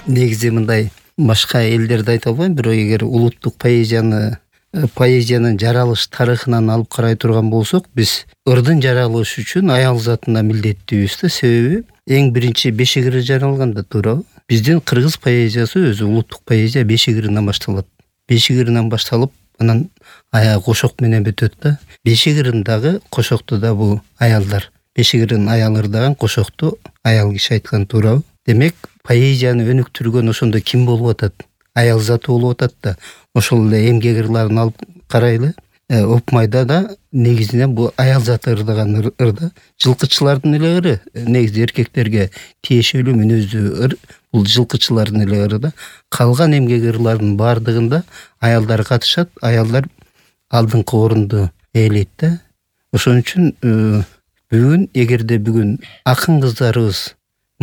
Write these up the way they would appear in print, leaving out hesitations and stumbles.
негизи мындай башка элдерди айта албайм, бирок эгер улуттук поэзиянын жаралыш тарыхынан алып карай турган болсок, биз ырдын жаралышы үчүн аял затына милдеттүүбүз да. Себеби эң биринчи Бешигирин жаралганда туурабы? Биздин кыргыз поэзиясы өзү улуттук поэзия Бешигиринен башталат. Бешигиринен башталып, анан аягы кошок менен бүтөт да. Бешигирин дагы кошокту да бул аялдар. Бешигирин аял ырдаган, кошокту аял киши айткан, туурабы? Демек, поэзияны өнүктүргөн ошондо ким болуп атат? Аял заты болуп атат да. Ошол эле эмгек ырларын алып карайлы. Опмайда да негизинен бул аял заты ырдаган ырда. Жылкычылардын эле ыры, негизи эркектерге тиешелүү мүнөздүү ыр, бул жылкычылардын эле ыры да. Калган эмгек ырларынын баардыгында аялдар катышат, аялдар алдыңкы орунду ээлейт да. Ошон үчүн бүгүн, эгерде бүгүн акын кыздарыбыз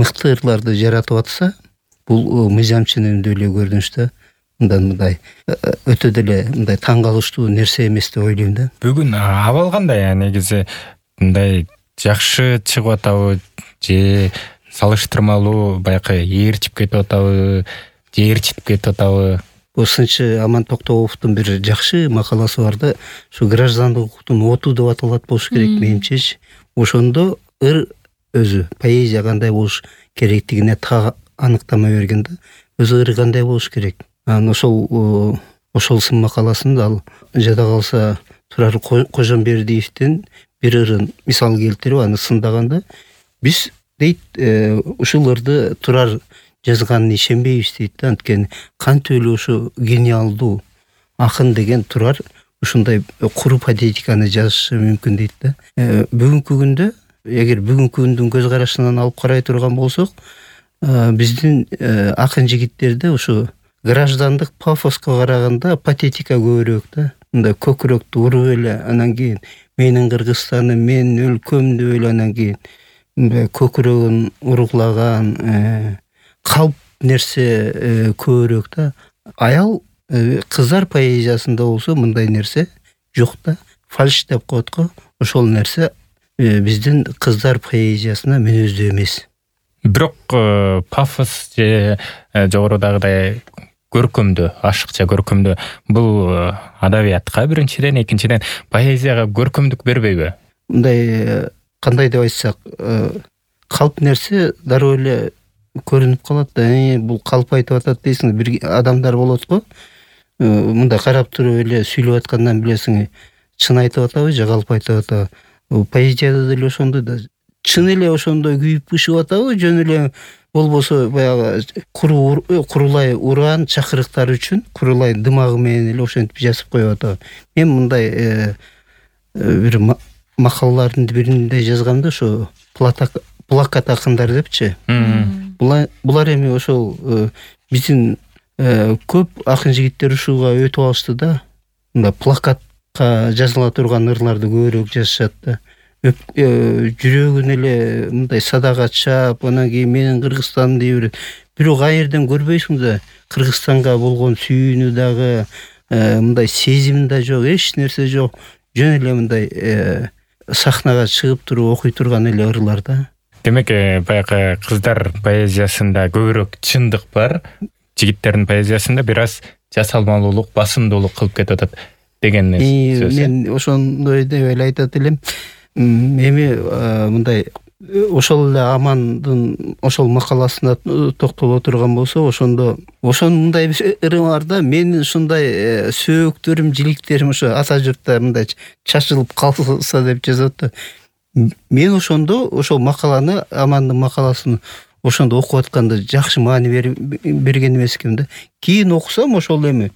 мыкты ырларды жаратып атса, бул мыйзамчынын деле көрүнүштө мындай өтө деле мындай таң калыштуу нерсе эмес деп ойлойм да. Бүгүн абал кандай? Негизи мындай жакшы чыгып атабы же салыштырмалуу баягы ээрчип кетип атабы же ээрчитип кетип атабы? Бул сынчы Аман Токтобовдун бир жакшы макаласы бар да, ушу граждандык укуктун оту деп аталат болуш керек менимчечи. Ошондо ыр өзү, поэзия кандай болуш керектигине так аныктама берген да. Өзү ыры кандай болуш керек. Анан ошол сын макаласында ал жада калса Турар Кожомбердиевдин бир ырын мисал келтирип аны сындаганда, биз дейт ушул ырды Турар жазганына ишенбейбиз дейт да. Анткени кантип эле ушу гениалдуу акын деген Турар ушундай куру патетиканы жазышы мүмкүн дейт да. Бүгүнкү күндө, эгер бүгүнкү күндүн көз карашынан алып карай турган болсок, биздин акын жигиттерде ушу граждандык пафоска караганда патетика көбүрөөк да. Мындай көкүрөктү уруп эле, анан кийин менин Кыргызстаным, менин өлкөм деп эле, анан кийин мындай көкүрөгүн уруклаган калп нерсе көбүрөөк да. Аял кыздар поэзиясында болсо мындай нерсе жок да. Фальш деп коет го. Ошол нерсе биздин кыздар поэзиясына мүнөздүү эмес. Бирок пафос же жогорудагыдай көркөмдүү, ашыкча көркөмдүү бул адабиятка биринчиден, экинчиден поэзияга көркөмдүк бербейби? Мындай кандай деп айтсак, калп нерсе дароо эле көрүнүп калат да. Бул калп айтып атат дейсиң, бир адамдар болот го. Мындай карап туруп эле сүйлөп аткандан билесиң, чын айтып атабы же калп айтып атабы. Поэзияда деле ошондой да. Чын эле ошондой күйүп бышып атабы, жөн эле болбосо баягы курулай уран чакырыктар үчүн курулай дымагы менен эле ошентип жазып коюп атабы. Мен мындай бир макалалардын биринде жазгам да, ошо плакат акындар депчи. Булар эми ошол биздин көп акын жигиттер ушуга өтүп алышты да. Мындай плакатка жазыла турган ырларды көбүрөөк жазышат да. Жүрөгүн эле мындай садага чаап, анан кийин менин Кыргызстаным дей бирок кайерден көрбөйсүң да, Кыргызстанга болгон сүйүүнү дагы, мындай сезим да жок, эч нерсе жок. Жөн эле мындай сахнага чыгып туруп окуй турган эле ырлар да. Демек, баягы кыздар поэзиясында көбүрөөк чындык бар, жигиттердин поэзиясында бир аз жасалмалуулук, басымдуулук кылып кетип атат деген сөз. Мен ошондой деп эле айтат элем. Эми мындай ошол эле Амандын ошол макаласына токтоло турган болсо, ошондо мындай ыры бар да. Менин ушундай сөөктөрүм, жиликтерим ошо ата журтта мындай чачылып калса деп жазат да. Мен ошондо ошол макаланы, Амандын макаласын ошондо окуп атканда жакшы маани берген эмес экен да. Кийин окусам ошол эми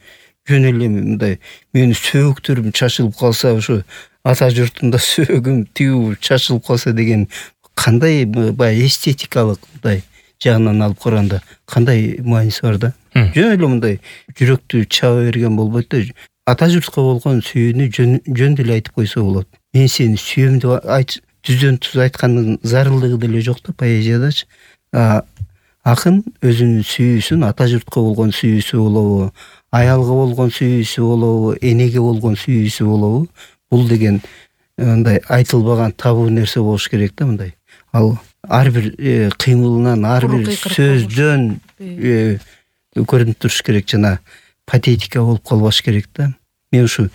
жөн эле мындай менин сөөктөрүм чачылып калса, ошо ата журтунда сөөгүм тигүү чачылып калса деген кандай баягы эстетикалык мындай жагынан алып караганда кандай мааниси бар да. Жөн эле мындай жүрөктү чаба берген болбойт да. Ата журтка болгон сүйүүнү жөн деле айтып койсо болот. Мен сени сүйөм деп түздөн түз айткандын зарылдыгы деле жок да поэзиядачы. Акын өзүнүн сүйүүсүн ата журтка болгон сүйүүсү болобу, аялга болгон сүйүүсү болобу, энеге болгон сүйүүсү болобу, бул деген мындай айтылбаган табуу нерсе болуш керек да. Мындай ал ар бир кыймылынан, ар бир сөздөн көрүнүп туруш керек, жана патетика болуп калбаш керек да. Мен ушу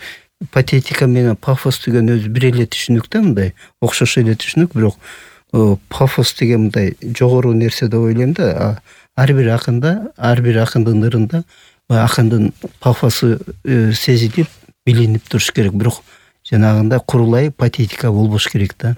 патетика менен пафос деген өзү бир эле түшүнүк да, мындай окшош эле түшүнүк, бирок пафос деген мындай жогору нерсе деп ойлойм да. Ар бир акындын ырында акындын пафосу сезилип, билинип туруш керек, бирок жанагындай курулай патетика болбош керек да.